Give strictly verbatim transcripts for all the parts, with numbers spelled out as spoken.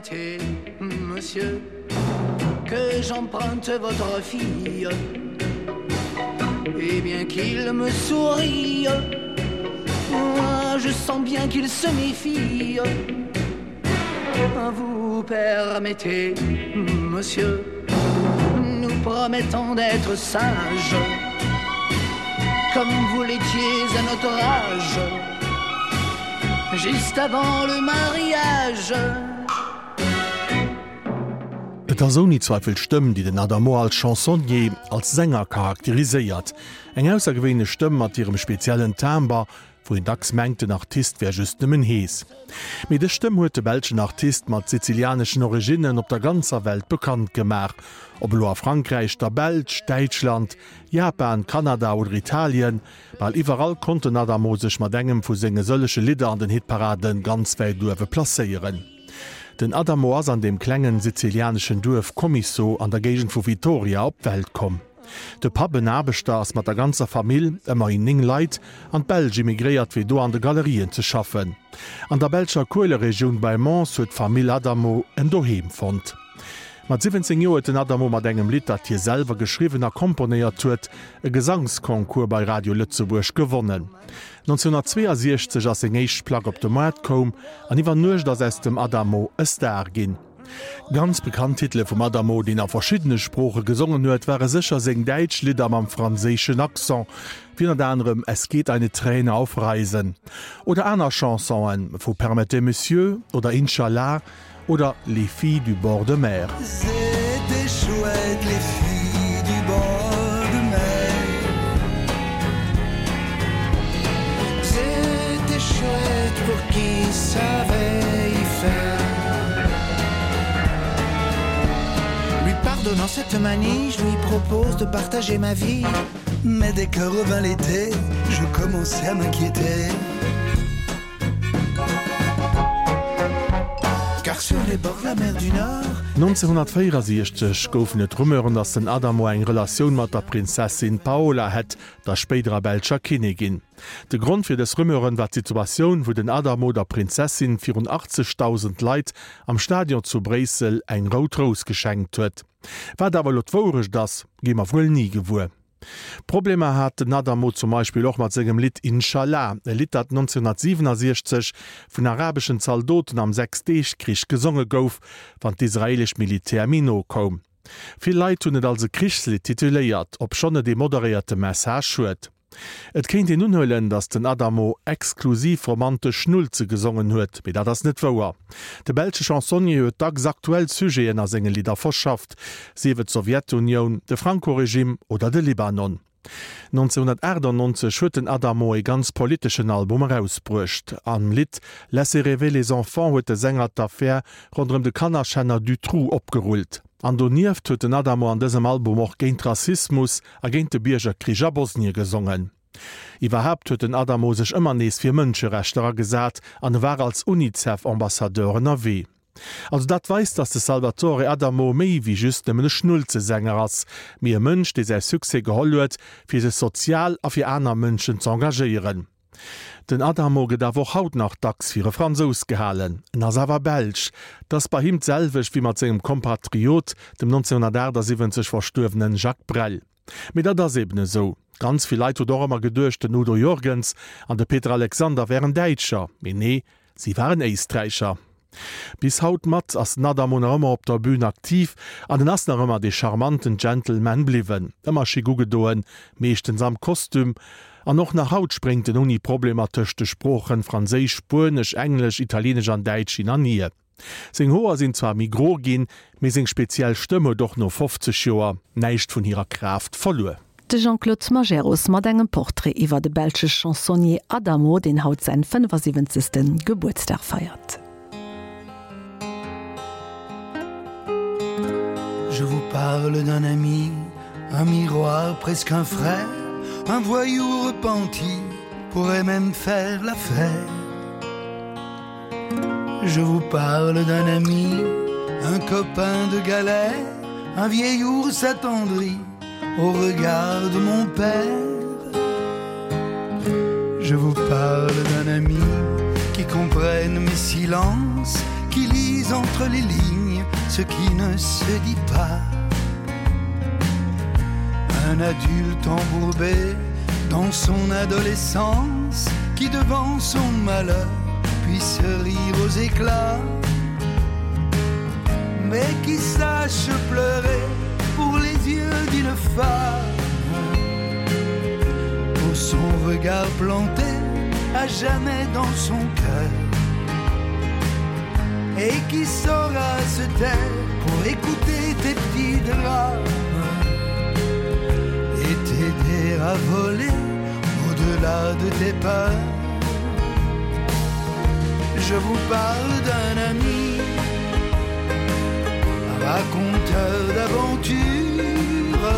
Permettez, monsieur, que j'emprunte votre fille Et bien qu'il me sourie, moi je sens bien qu'il se méfie. Vous permettez, monsieur, nous promettons d'être sages, comme vous l'étiez à notre âge, juste avant le mariage. Et ass ouni Zweifel d'Stëmm, déi den Adamo als Chansonnier, als Sänger charakteriséiert. Eng aussergewéinlech Stëmm mat hirem speziellen Timbre, wou een dacks mengt, den Artist wär just nëmmen hees. Mee dës Stëmm huet de belschen Artist mat sizilianeschen Originnen op der ganzer Welt bekannt gemaach. Ob elo a Frankräich, der Belsch, Däitschland, Japan, Kanada oder Italien, bal iwwerall konnt den Adamo sech mat engem vu senge sëllege Lidder an den Hitparade ganz wäit uewe placéieren. Den Adamo ass an deem klengen sizilianeschen Duerf Comiso an der Géigend vu Vittoria op d'Welt komm. De Papp, en Aarbechter, ass mat der ganzer Famill, ëmmerhin néng Leit, an d'Belsch immigréiert fir do an de Galerien ze schaffen. An der belscher Kueleregioun bei Mons huet d'Famill Adamo en Doheem fonnt. Mat siwwenzéng Joer huet den Adamo mat engem Lidd, dat hie selwer geschriwwen a komponéiert huet, e Gesangsconcours bei Radio Lëtzebuerg gewonnen. nonzénhunnertzweeasiechzeg ass seng éischt Plack op de Moart koum an iwwer Nuecht ass aus dem Adamo e Star ginn. Ganz bekannt Titele vum Adamo, deen a verschiddene Sprooche gesongen huet, ware sécher seng däitsch Lidder mam franséischen Accent, wéi ënnert anerem Es geht eine Träne auf Reisen oder aner Chansonen vu Permettez Monsieur oder Inch'Allah oder Les filles du bord de mer. C'était chouette les filles du bord de mer C'était chouette pour qui savait y faire Lui pardonnant cette manie, je lui propose de partager ma vie Mais dès que revint l'été, je commençais à m'inquiéter Car sur les bords de la mer du Nord nonzénhunnertvéierasiechzeg goufen et Rumeuren, datt den Adamo eng Relatioun mat der Prinzessin Paola hätt, der spéiderer belscher Kinnigin. De Grond fir dës Rumeuren war d'Situatioun, wou den Adamo der Prinzessin virun achtzegdausend Leit am Stadion zu Bréissel eng rout Rous geschenkt huet. Wat awer elo d'Wourecht ass, gi mer wuel ni gewuer. Problemer hat den Adamo zum Beispill och mat sengem Lidd Inshallah, e Lidd dat nonzénhunnertsiwwenasiechzeg vun arabeschen Zaldoten am Sechs-Deeg-Krich gesonge gouf, wann d'israeelescht Militär méi no koum. Vill Leit hunn et als e Krichslidd tituléiert, obschonn et ee moderéierte Message huet. Et kéint een unhuelen, datt den Adamo exklusiv romantesch Schnulze gesongen huet, mee dat ass net wouer. De belsche Chansonnier huet dacks aktuell Sujeten a senge Lidder verschafft, sief et d'Sowjetunioun, de Franco-Regime oder de Libanon. nonzénhunnertachtannonzeg huet den Adamo e ganz politeschen Album erausbruecht. Am Lidd Laissez rêver les enfants huet de Sänger d'Affär ronderëm de Kannerschänner Dutroux opgerullt. An donieft huet den Adamo an dësem Album och géint Rassismus a géint de Biergerkrich a Bosnie gesongen. Iwwerhaapt huet den Adamo sech ëmmer nees fir Mënscherechter agesat an e war als UNICEF-Ambassadeur ënnerwee. Also dat weist, dass de Salvatore Adamo méi wéi just nëmmen e Schnulzesänger ass, mee e Mënsch, dee säi Succès geholl huet, fir sech sozial a fir aner Mënschen z'engagéieren. Den Adamo gëtt awer och haut nach dacks fir e Fransous gehalen. En ass awer Belsch. 't ass bei him d'selwecht wéi mat sengem Kompatriot, dem nonzénhunnertachtasiwwenzeg verstuerwenen Jacques Brel. Mee dat ass eben esou. Ganz vill Leit huet och ëmmer geduecht, den Udo Jürgens an de Peter Alexander wären Däitscher. Mee nee, si waren Éisträicher. Bis haut mat ass den Adamo nach ëmmer op der Bühn aktiv an en ass nach ëmmer dee charmanten Gentleman bliwwen. Ëmmer chic ugedoen, meeschtens am Kostüm. An och nach haut spréngt en ouni Problemer tëscht de Sproochen Franséisch, Spuenesch, Englesch, Italienesch an Däitsch hin an hier. Seng Hoer sinn zwar méi gro ginn, mee seng speziell Stëmm huet och no fofzeg Joer näischt vun hirer Kraaft verluer. De Jean-Claude Majerus mat engem Portrait iwwer de belsche Chansonnier Adamo, deen haut säin fënnefasiwwenzegste Gebuertsdag feiert. Je vous parle d'un ami, un miroir, presque un frère, un voyou repenti pourrait même faire l'affaire. Je vous parle d'un ami, un copain de galère, un vieil ours attendri au regard de mon père. Je vous parle d'un ami qui comprenne mes silences, qui lise entre les lignes ce qui ne se dit pas. Un adulte embourbé dans son adolescence qui devant son malheur puisse rire aux éclats, mais qui sache pleurer pour les yeux d'une femme, pour son regard planté à jamais dans son cœur et qui saura se taire pour écouter tes petits drames et t'aider à voler au-delà de tes peurs. Je vous parle d'un ami, raconteur d'aventures,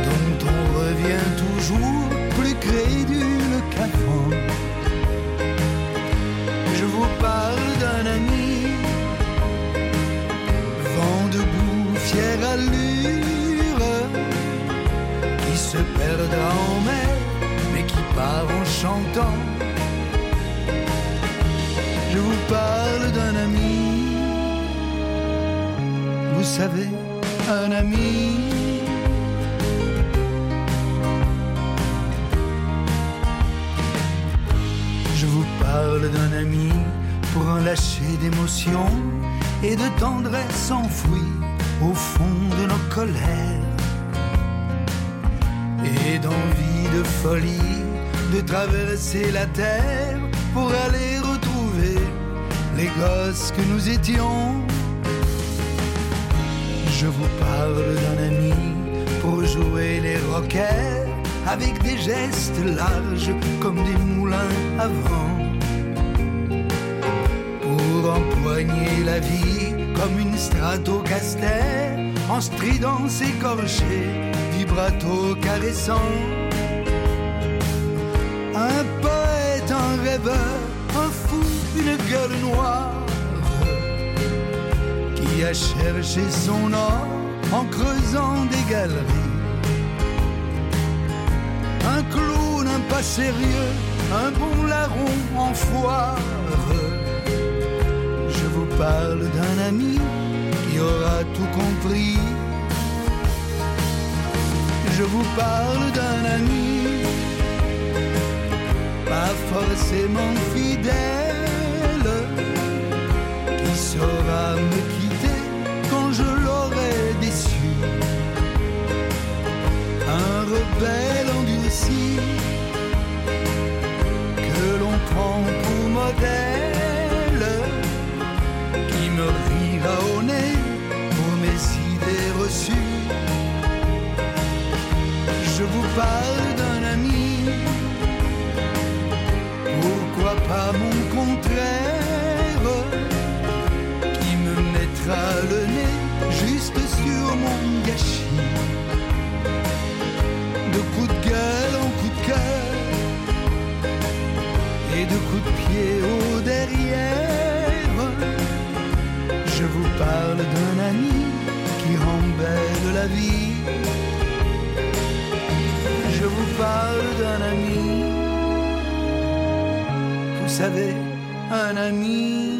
dont on revient toujours plus crédule qu'avant. Je vous parle d'un ami, vent debout, fière allure, qui se perdra en mer, mais qui part en chantant. Je vous parle d'un ami, vous savez, un ami. Je vous parle d'un ami pour un lâcher d'émotions et de tendresse enfouie au fond de nos colères et d'envie de folie de traverser la terre pour aller retrouver les gosses que nous étions. Je vous parle d'un ami pour jouer les rockers avec des gestes larges comme des moulins à vent. Pour empoigner la vie comme une stratocaster en stridence écorché, vibrato caressant. Un poète, un rêveur, un fou, une gueule noire qui a cherché son or en creusant des galeries. Un clown, un pas sérieux, un bon larron en foire. Je vous parle d'un ami qui aura tout compris. Je vous parle d'un ami, pas forcément fidèle, qui saura me quitter quand je l'aurai déçu. Un rebelle endurci que l'on prend pour modèle, qui me rira au nez pour mes idées reçues. Je vous parle d'un ami, pourquoi pas mon contraire, qui me mettra le nez juste sur mon gâchis. De coup de gueule en coup de cœur et de coups de pied au derrière. Je vous parle d'un ami qui rend belle la vie. Je vous parle d'un ami, vous savez, un ami.